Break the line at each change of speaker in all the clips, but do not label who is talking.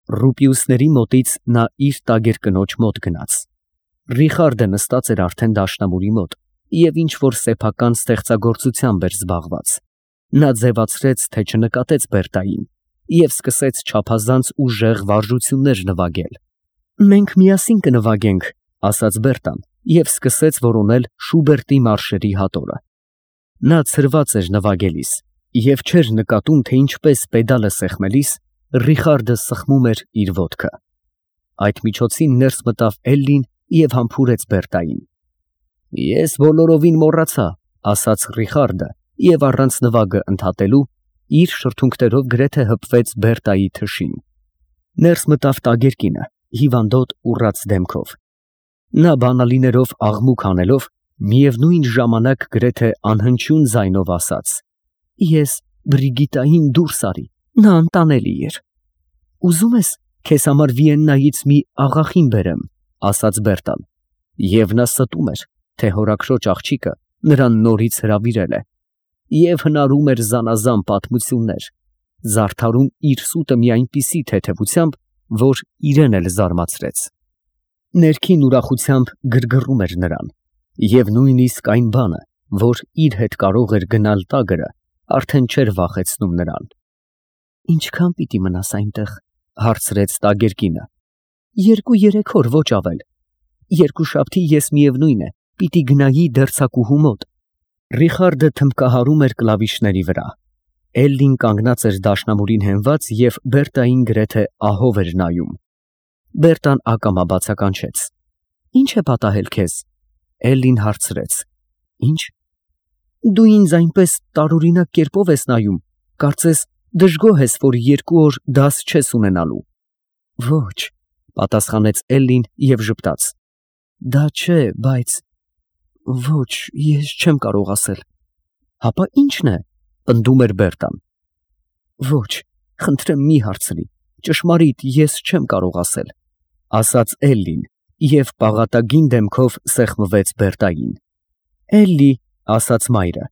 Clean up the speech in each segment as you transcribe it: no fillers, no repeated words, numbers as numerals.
Ռուպիուսների մոտից նա իր տագեր կնոջ մոտ գնաց։ Ռիխարդը նստած էր արդեն դաշնամուրի մոտ և ինչ-որ սեփական ստեղծագործությամբ էր զբաղված։ Նա ձևացրեց, թե չնկատեց Բերտային և սկսեց չափազանց ուժեղ վարժություններ նվագել։ «Մենք միասին կնվագենք», ասաց Բերտան և սկսեց որոնել Շուբերտի մարշերի հատորը։ Նա ցրված էր նվագելիս և չէր նկատում, թե ինչպես պեդալը սեղմելիս Ռիխարդը սխմում էր իր ոտքը։ Այդ միջոցին ներս մտավ Էլլին և համբուրեց Բերտային։ «Ես բոլորովին մոռացա», ասաց Ռիխարդը և առանց նվագը ընդհատելու իր շրթունքներով գրեթե հպվեց Բերտայի թշին։ Ներս մտավ տագերկինը, հիվանդոտ ուռած դեմքով։ Նա բանալիներով աղմուկ անելով, միևնույն ժամանակ գրեթե անհնչյուն ձայնով ասաց. «Ես Բրիգիտային դուրս արի, նա անտանելի էր»։ «Ուզում ես քեզ համար Վիեննայից մի աղախին բերեմ», ասաց Բերտան, և նա ստում էր, թե հորաքրոջ աղջիկը նրան նորից հրավիրել է, և հնարում էր զանազան պատմություններ, զարդարում իր սուտը մի այնպիսի թեթևությամբ, որ իրեն էլ զարմացրեց։ Ներքին ուրախությամբ գրգռում էր նրան, և նույնիսկ այն բանը, որ իր հետ կարող էր գնալ տագրը, արդեն չէր վախեցնում նրան։ «Ինչքան պիտի մնաս այնտեղ», հարցրեց տագերկինը։ «2-3 օր, ոչ ավել։ Երկուշաբթի ես միևնույն է պիտի գնայի դերձակուհու մոտ»։ Ռիխարդը թմբկահարում էր կլավիշների վրա։ Էլլին կանգնած էր դաշնամուրին հենված և Բերտային գրեթե ահով էր նայում։ Բերտան ակամա բացականչեց։ «Ի՞նչ է պատահել քեզ»։ Էլլին հարցրեց։ «Ի՞նչ։ Դու ինձ այնպես տարօրինակ կերպով ես նայում, կարծես դժգոհ ես, որ 2 օր դաս չես ունենալու»։ «Ոչ», պատասխանեց Էլլին և ժպտաց։ «Դա չէ, բայց…» «Ոչ, ես չեմ կարող ասել»։ «Հապա ի՞նչն է», պնդում էր Բերտան։ «Ոչ, խնդրեմ մի հարցրի, ճշմարիտ ես չեմ կարող ասել», ասաց Էլլին և պաղատագին դեմքով սեղմվեց Բերտային։ «Էլլի», ասաց մայրը,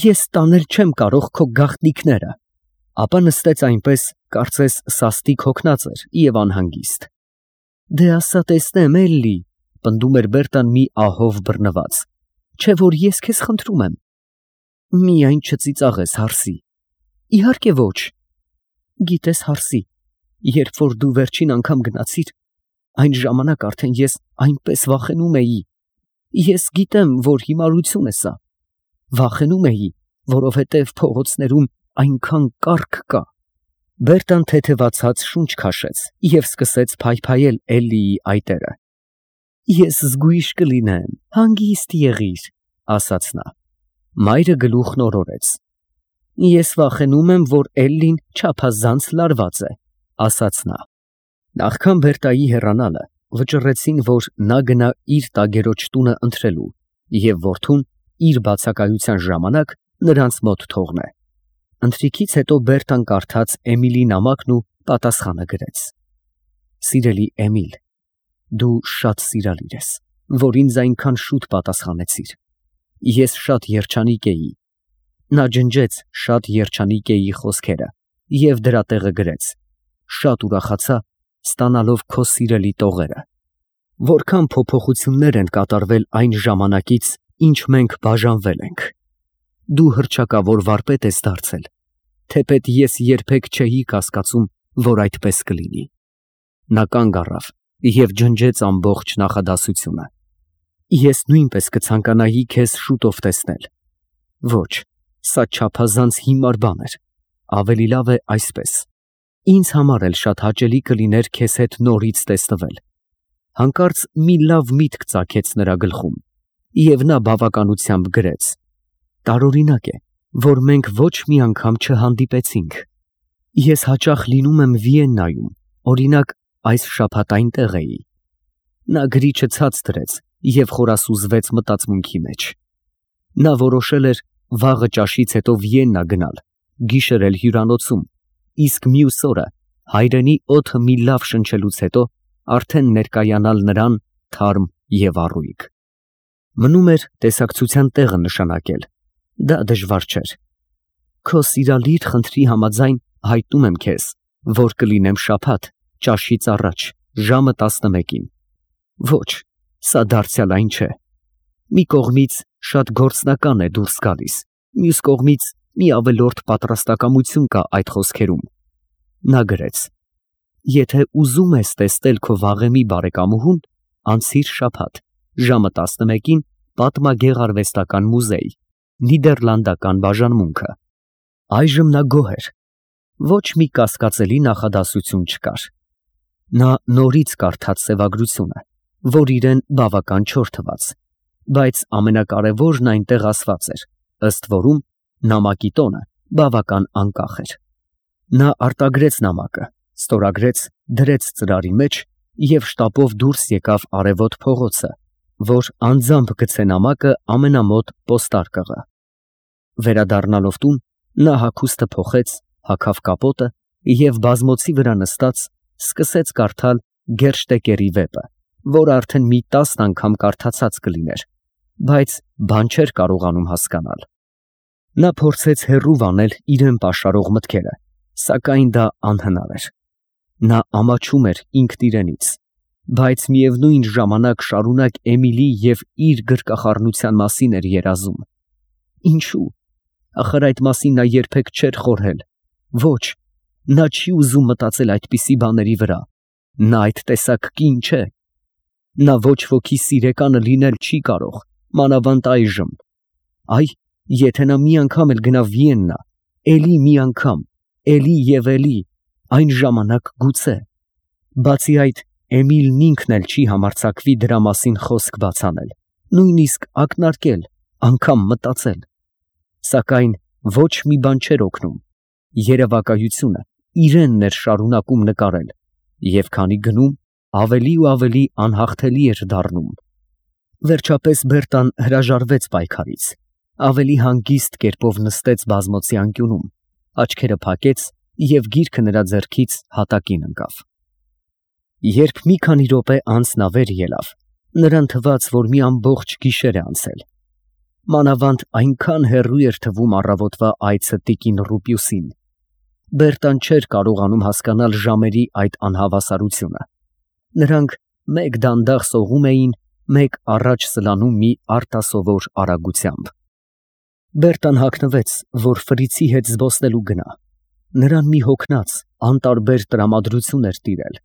«ես տանել չեմ կարող քո գաղտնիքները»։ Ապա նստեց այնպես, կարծես սաստիկ հոգնած էր և անհանգիստ։ «Դե ասա տեսնեմ, Էլլի», պնդում էր Բերտան մի ահով բռնված, «չէ՞ որ ես քեզ խնդրում եմ»։ «Միայն չծիծաղես, հարսի»։ «Իհարկե ոչ»։ «Գիտես, հարսի, երբ որ դու վերջին անգամ գնացիր, այն ժամանակ արդեն ես այնպես վախենում էի։ Ես գիտեմ, որ հիմարություն է սա։ Վախենում էի, որովհետև փողոցներում այնքան կառք կա»։ Բերտան թեթևացած շունչ քաշեց և սկսեց փայփայել Էլլիի այտերը։ «Ես զգույշ կլինեմ, հանգիստ եղիր», ասաց նա։ Մայրը գլուխն օրորեց։ «Ես վախենում եմ, որ Էլլին չափազանց լարված է», ասաց նա։ Նախքան Բերտայի հեռանալը վճռեցին, որ նա գնա իր տագերոջ տունը ընթրելու և որդուն իր բացակայության ժամանակ նրանց մոտ թողնե։ Ընթրիքից հետո Բերտան կարդաց Էմիլի նամակն ու պատասխանը գրեց. «Սիրելի Էմիլ, դու շատ սիրալիր ես, որ ինձ այնքան շուտ պատասխանեցիր։ Ես շատ երջանիկ էի»։ Նա ջնջեց «շատ երջանիկ էի» խոսքերը և դրա տեղը գրեց. «Շատ ուրախացա, ստանալով քո սիրելի տողերը։ Որքան փոփոխություններ են կատարվել այն ժամանակից, ինչ մենք բաժանվել ենք։ Դու հռչակավոր վարպետ ես դարձել, թեպետ ես երբեք չէի կասկածում, որ այդպես կլինի»։ Նա կանգ առավ և ջնջեց ամբողջ նախադասությունը։ «Ես նույնպես կցանկանայի քեզ շուտով տեսնել»։ Ոչ, սա չափազանց հիմար բան էր, ավելի լավ է այսպես։ Ինձ համար էլ շատ հաճելի կլիներ քեզ հետ նորից տեսնվել։ Հանկարծ մի լավ միտք ծագեց նրա գլխում, և նա բավականությամբ գրեց. «Տարօրինակ է, որ մենք ոչ մի անգամ չհանդիպեցինք։ Ես հաճախ լինում եմ Վիեննայում, օրինակ, այս շաբաթ այնտեղ էի»։ Նա գրիչը ցած դրեց և խորասուզվեց մտածմունքի մեջ։ Նա որոշել էր վաղը ճաշից հետո Վիեննա գնալ, գիշերել հյուրանոցում, իսկ մյուս օրը հայրենի օդը մի լավ շնչելուց հետո արդեն ներկայանալ նրան թարմ և առույգ։ Մնում էր տեսակցության տեղը նշանակել, դա դժվար չէր։ Քո սիրալիր խնդրի համաձայն հայտնում եմ քեզ, որ կլինեմ շաբաթ ճաշից առաջ, ժամը 11-ին։ Ոչ, սա դարձյալ այն չէ։ Մի կողմից շատ գործնական է դուրս գալիս, մյուս կողմից մի ավելորդ պատրաստակամություն կա այդ խոսքերում։ Նա գրեց. եթե ուզում ես տեսնել քո վաղեմի բարեկամուհուն, անցիր շաբաթ, ժամը 11-ին Պատմագեղարվեստական մուզեյ, Նիդերլանդական բաժանմունքը։ Այժմ նա գոհ էր։ Ոչ մի կասկածելի նախադասություն չկար։ Նա նորից կարդաց սևագրությունը, որ իրեն բավական չոր թվաց, բայց ամենակարևորն այնտեղ ասված էր, ըստ որում նամակի տոնը բավական անկախ էր։ Նա արտագրեց նամակը, ստորագրեց, դրեց ծրարի մեջ և շտապով դուրս եկավ արևոտ փողոցը, որ անձամբ գցե նամակը ամենամոտ պոստարկղը։ Վերադառնալով տուն, նա հագուստը փոխեց, հագավ կապոտը և բազմոցի վրա նստած սկսեց կարդալ Գերշտեկերի վեպը, որ արդեն մի 10 անգամ կարդացած կլիներ, բայց բան չէր կարողանում հասկանալ։ Նա փորձեց հեռու վանել իրեն պաշարող մտքերը, սակայն դա անհնար էր։ Նա ամաչում էր ինքն իրենից, բայց միևնույն ժամանակ շարունակ Էմիլի և իր գրկախառնության մասին էր երազում։ Ինչու՞։ Ախր այդ մասին նա երբեք չէր խորհել։ Ոչ, նա չի ուզում մտածել այդպիսի բաների վրա։ Նա այդ տեսակ կին չէ։ Նա ոչ ոքի սիրեկանը լինել չի կարող, մանավանդ այժմ։ Այ, եթե նա մի անգամ էլ գնա Վիեննա, էլի մի անգամ, էլի և էլի, այն ժամանակ գուցե։ Բացի այդ, Էմիլն ինքն էլ չի համարձակվի դրա մասին խոսք բաց անել, նույնիսկ ակնարկել, անգամ մտածել։ Սակայն ոչ մի բան չէր օգնում։ Երևակայությունը իրենն էր շարունակում նկարել, և քանի գնում, ավելի ու ավելի անհաղթելի էր դառնում։ Վերջապես Բերտան հրաժարվեց պայքարից, ավելի հանգիստ կերպով նստեց բազմոցի անկյունում, աչքերը փակեց և գիրքը նրա ձեռքից հատակին ընկավ։ Երբ մի քանի րոպե անց նա վեր ելավ, նրան թվաց, որ մի ամբողջ գիշեր է անցել։ Մանավանդ այնքան հեռու էր թվում առավոտվա այցը տիկին Ռուպիուսին։ Բերտան չէր կարողանում հասկանալ ժամերի այդ անհավասարությունը։ Նրանք մեկ դանդաղ սողում էին, մեկ առաջ սլանում մի արտասովոր արագությամբ։ Բերտան հագնվեց, որ Ֆրիցի հետ զբոսնելու գնա։ Նրան մի հոգնած, անտարբեր տրամադրություն էր տիրել։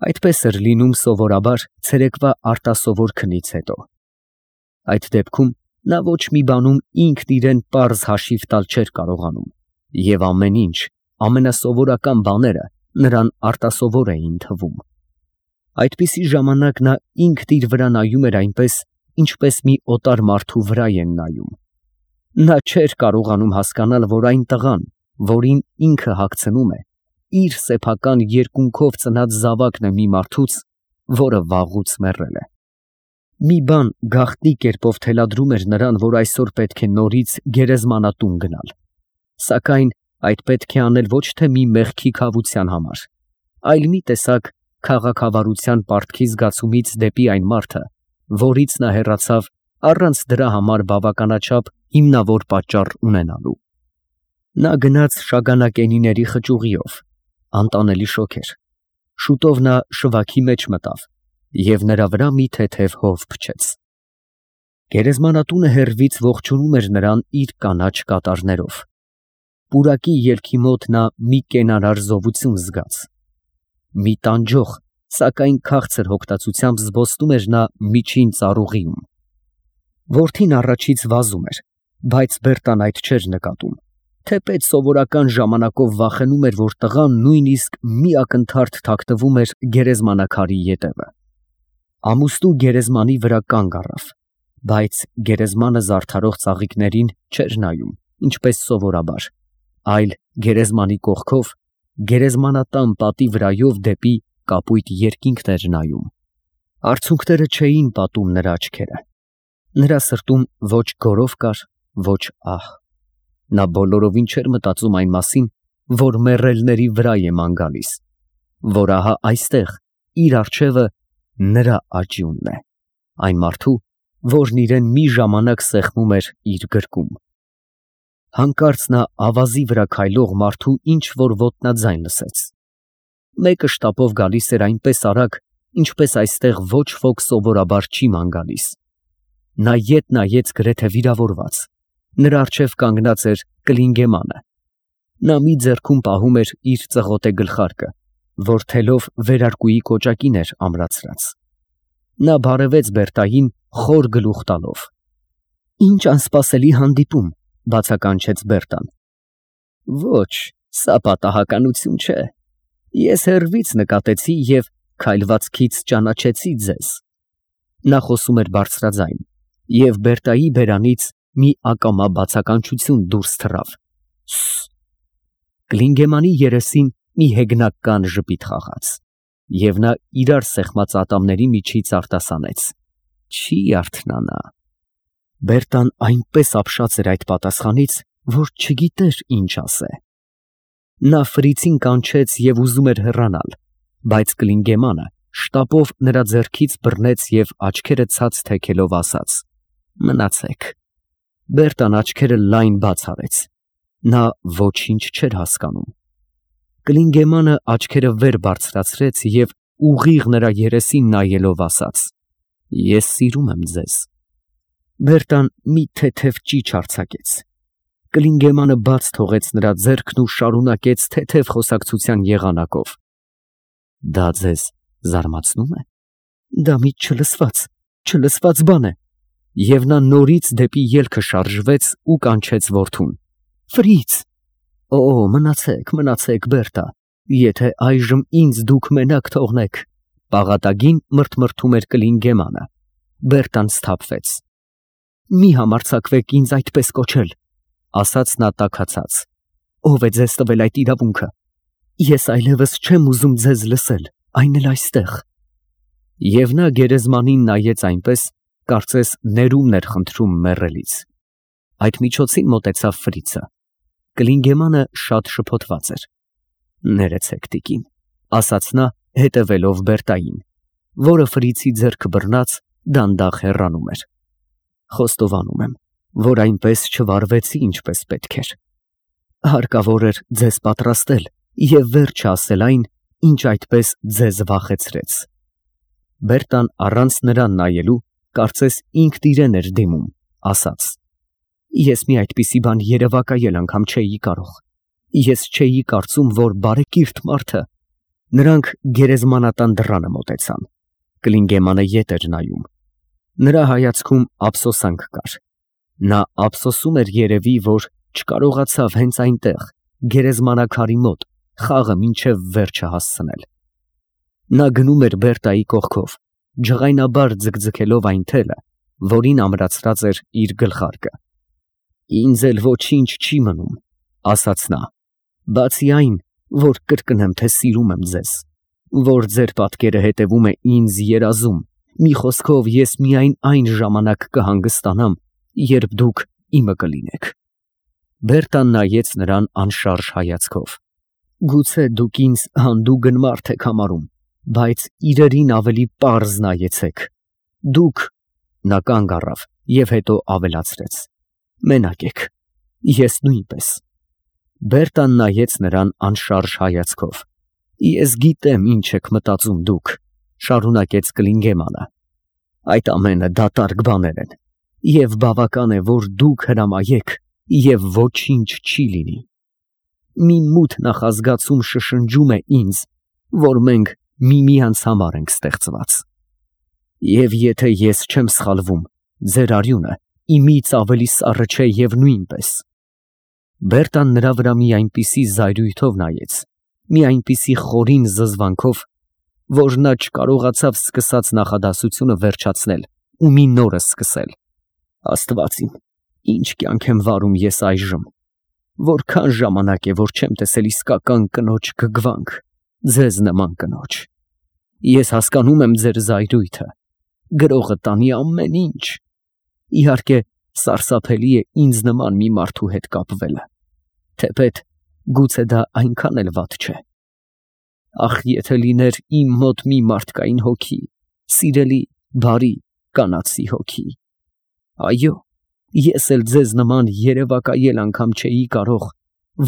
Այդպես էր լինում սովորաբար ցերեկվա արտասովոր քնից հետո։ Այդ դեպքում նա ոչ մի բանում ինքն իրեն պարզ հաշիվ տալ չէր կարողանում, և ամեն ինչ, ամենասովորական բաները նրան արտասովոր էին թվում։ Այդպիսի ժամանակ նա ինքն իր վրա նայում էր այնպես, ինչպես մի օտար մարդու վրա են նայում։ Նա չէր կարողանում հասկանալ, որ այն տղան, որին ինքը հագցնում է, իր սեփական երկունքով ծնած զավակն է մի մարդուց, որը վաղուց մեռել է։ Մի բան գաղտնի կերպով թելադրում էր նրան, որ այսօր պետք է նորից գերեզմանատուն գնալ։ Սակայն այդ պետք է անել ոչ թե մի մեղքի քավության համար, այլ մի տեսակ քաղաքավարության պարտքի զգացումից դեպի այն մարդը, որից նա հեռացավ առանց դրա համար բավականաչափ հիմնավոր պատճառ ունենալու։ Նա գնաց Շագանակենիների խճուղիով, անտանելի շոգ էր։ Շուտով նա շվաքի մեջ մտավ և նրա վրա մի թեթև հով փչեց։ Գերեզմանատունը հեռվից ողջունում էր նրան իր կանաչ կատարներով։ Պուրակի ելքի մոտ նա մի կենարար զովություն զգաց։ Մի տանջող, սակայն քաղցր հոգտացությամբ զբոսնում էր նա միջին ծառուղիում։ Որդին առաջից վազում էր, բայց Բերտան այդ չէր նկատում, թեպետ սովորական ժամանակով վախենում էր, որ տղան նույնիսկ մի ակնթարթ թաքնվում էր գերեզմանակարի ետևը։ Ամուսնու գերեզմանի վրա կանգ առավ, բայց գերեզմանը զարդարող ծաղիկներին չէր նայում, ինչպես սովորաբար, այլ գերեզմանի կողքով, գերեզմանատան պատի վրայով դեպի կապույտ երկինքն էր նայում։ Արցունքները չէին պատում նրա աչքերը։ Նրա սրտում ոչ գորով կար, ոչ ահ։ Նա բոլորովին չէր մտածում այն մասին, որ մեռելների վրա է ման գալիս, որ ահա այստեղ իր առջևը նրա աճյունն է, այն մարդու, որն իրեն մի ժամանակ սեղմում էր իր գրկում։ Հանկարծ նա ավազի վրա քայլող մարդու ինչ որ ոտնաձայն լսեց։ Մեկը շտապով գալիս էր այնպես արագ, ինչպես այստեղ ոչ ոք սովորաբար չի ման գալիս։ Նա ետ նայեց գրեթե վիրավորված։ Նրա առջև կանգնած էր Կլինգեմանը։ Նա մի ձեռքում պահում էր իր ծղոտե գլխարկը, որ թելով վերարկուի կոճակին էր ամրացրած։ Նա բարևեց Բերտային խոր գլուխ տալով։ «Ինչ անսպասելի հանդիպում», բացականչեց Բերտան։ «Ոչ, սա պատահականություն չէ։ Ես հեռվից նկատեցի և քայլվածքից ճանաչեցի ձեզ»։ Նա խոսում էր բարձրաձայն, և Բերտայի բերանից մի ակամա բացականչություն դուրս թռավ։ «Սս»։ Կլինգեմանի երեսին մի հեգնական ժպիտ խաղաց, և նա իրար սեղմած ատամների միջից արտասանեց. «Չի արթնանա»։ Բերտան այնպես ապշած էր այդ պատասխանից, որ չգիտեր ինչ ասե։ Նա ֆրիցին կանչեց և ուզում էր հեռանալ, բայց Կլինգեմանը շտապով նրա ձեռքից բռնեց և աչքերը ցած թեքելով ասաց. «Մնացեք»։ Բերտան աչքերը լայն բաց արեց։ Նա ոչինչ չէր հասկանում։ Կլինգեմանը աչքերը վեր բարձրացրեց և ուղիղ նրա երեսին նայելով ասաց. «Ես սիրում եմ ձեզ»։ Բերտան մի թեթև ճիչ արձակեց։ Կլինգեմանը բաց թողեց նրա ձեռքն ու շարունակեց թեթև խոսակցության եղանակով. «Դա ձեզ զարմացնո՞ւմ է։ Դա մի չլսված բան է»։ Եվ նա նորից դեպի ելքը շարժվեց ու կանչեց որդուն. «Ֆրից»։ «Օ, մնացեք, Բերտա, եթե այժմ ինձ դուք մենակ թողնեք», պաղատագին մրթմրթում էր Կլինգեմանը։ Բերտան սթափվեց։ «Մի համարձակվեք ինձ այդպես կոչել», ասաց նա տաքացած։ «Ո՞վ է ձեզ տվել այդ իրավունքը։ Ես այլևս չեմ ուզում ձեզ լսել, այն էլ այստեղ»։ Եվ նա գերեզմանին նայեց այնպես, կարծես ներումն էր խնդրում մեռելից։ Այդ միջոցին մոտեցավ Ֆրիցը։ Կլինգեմանը շատ շփոթված էր։ «Ներեցեք, տիկին», ասաց նա, հետևելով Բերտային, որը Ֆրիցի ձեռքը բռնած դանդաղ հեռանում էր։ «Խոստովանում եմ, որ այնպես չվարվեցի, ինչպես պետք էր։ Հարկավոր էր ձեզ պատրաստել և վերջը ասել այն, ինչ այդպես ձեզ վախեցրեց»։ Բերտան առանց նրան նայելու, կարծես ինքն իրեն էր դիմում, ասաց. «Ես մի այդպիսի բան երևակայել անգամ չէի կարող։ Ես չէի կարծում, որ բարեկիրթ մարդը»։ Նրանք գերեզմանատան դռանը մոտեցան։ Կլինգեմանը ետ էր նայում։ Նրա հայացքում ափսոսանք կար։ Նա ափսոսում էր երևի, որ չկարողացավ հենց այնտեղ, գերեզմանակարի մոտ, խաղը մինչև վերջը հասցնել։ Նա գնում էր Բերտայի կողքով, ջղայնաբար ձգձգելով այն թելը, որին ամրացրած էր իր գլխարկը։ «Ինձ էլ ոչինչ չի մնում», ասաց նա, «բացի այն, որ կրկնեմ, թե սիրում եմ ձեզ, որ ձեր պատկերը հետևում է ինձ երազում, մի խոսքով ես միայն այն ժամանակ կհանգստանամ, երբ դուք իմը կլինեք»։ Բերտան նայեց նրան անշարժ հայացքով։ «Գուցե դուք ինձ հանդուգն մարդ եք համարում, բայց իրերին ավելի պարզ նայեցեք։ Դուք…» Նա կանգ առավ և հետո ավելացրեց. «Մենակ եք, ես նույնպես»։ Բերտան նայեց նրան անշարժ հայացքով։ «Ես գիտեմ ինչ եք մտածում դուք», շարունակեց Կլինգեմանը։ «Այդ ամենը դատարկ բաներ են, և բավական է, որ դուք հրամայեք, և ոչինչ չի լինի։ Մի մութ նախազգացում շշնջում է ինձ, որ մենք միմյանց համար ենք ստեղծված։ Եվ եթե ես չեմ սխալվում, ձեր արյունը իմից ավելի սառը չէ և նույնպես»։ Բերտան նրա վրա մի այնպիսի զայրույթով նայեց, մի այնպիսի խորին զզվանքով, որ նա չկարողացավ սկսած նախադասությունը վերջացնել ու մի նորը սկսել։ «Աստված իմ, ինչ կյանք եմ վարում ես այժմ։ Որքան ժամանակ է, որ չեմ տեսել իսկական կնոջ գգվանք, ձեզ նման կնոջ։ Ես հասկանում եմ ձեր զայրույթը, գրողը տանի ամեն ինչ։ Իհարկե, սարսափելի է ինձ նման մի մարդու հետ կապվելը, թեպետ գուցե դա այնքան էլ վատ չէ։ Ախ, եթե լիներ իմ մոտ մի մարդկային հոգի, սիրելի, բարի, կանացի հոգի։ Այո, ես էլ ձեզ նման երևակայել անգամ չէի կարող,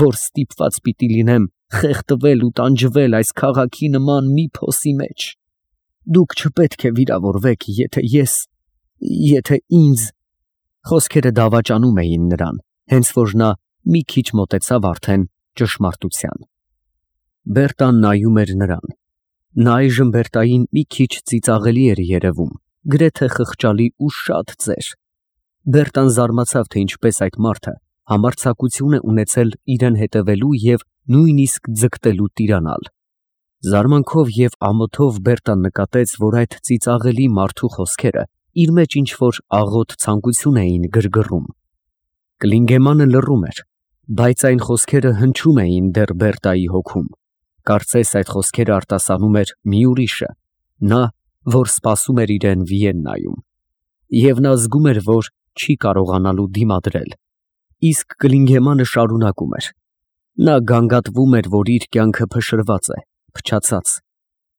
որ ստիպված պիտի լինեմ խեղդվել ու տանջվել այս քաղաքի նման մի փոսի մեջ։ Դուք չպետք է վիրավորվեք, եթե ինձ… Խոսքերը դավաճանում էին նրան, հենց որ նա մի քիչ մոտեցավ արդեն ճշմարտության։ Բերտան նայում էր նրան։ Նա այժմ Բերտային մի քիչ ծիծաղելի էր երևում, գրեթե խղճալի ու շատ ծեր։ Բերտան զարմացավ, թե ինչպես այդ մարդը համարձակություն է ունեցել իրեն հետևելու և նույնիսկ ձգտելու տիրանալ։ Զարմանքով և ամոթով Բերտան նկատեց, որ այդ ծիծաղելի մարդու խոսքերը իր մեջ ինչ-որ աղոտ ցանկություն էին գրգռում։ Կլինգեմանը լռում էր, բայց այն խոսքերը հնչում էին դեռ Բերտայի հոգում։ Կարծես այդ խոսքերը արտասանում էր մի ուրիշը, նա, որ սպասում էր իրեն Վիեննայում։ Եվ նա զգում էր, որ չի կարողանալու դիմադրել։ Իսկ Կլինգեմանը շարունակում էր. նա գանգատվում էր, որ իր կյանքը փշրված է, փչացած,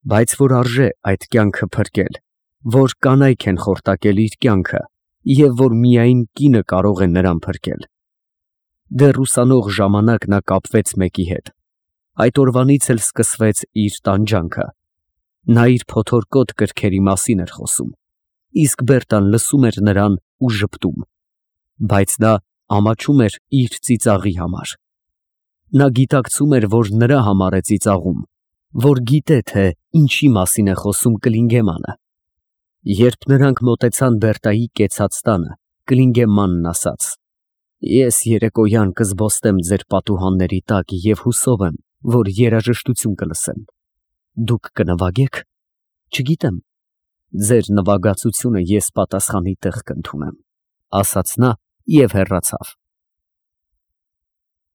բայց որ արժե այդ կյանքը փրկել, որ կանայք են խորտակել իր կյանքը և որ միայն կինը կարող է նրան փրկել։ Դեռ ուսանող ժամանակ նա կապվեց մեկի հետ։ Այդ օրվանից էլ սկսվեց իր տանջանքը։ Նա իր փոթորկոտ կրքերի մասին էր խոսում, իսկ Բերտան լսում էր նրան ու ժպտում, բայց նա ամաչում էր իր ծիծաղի համար։ Նա գիտակցում էր, որ նրա համար է ծիծաղում, որ գիտե, թե ինչի մասին է խոսում Կլինգեմանը։ Երբ նրանք մոտեցան Բերտայի կեցած տանը, Կլինգեմանն ասաց. «Ես երեկոյան կզբոստեմ ձեր պատուհանների տակ և հուսով եմ, որ երաժշտություն կլսեմ։ Դուք կնվագե՞ք։ Չգիտեմ, ձեր նվագածությունը ես պատասխանի տեղ կընդունեմ», ասաց նա և հեռացավ։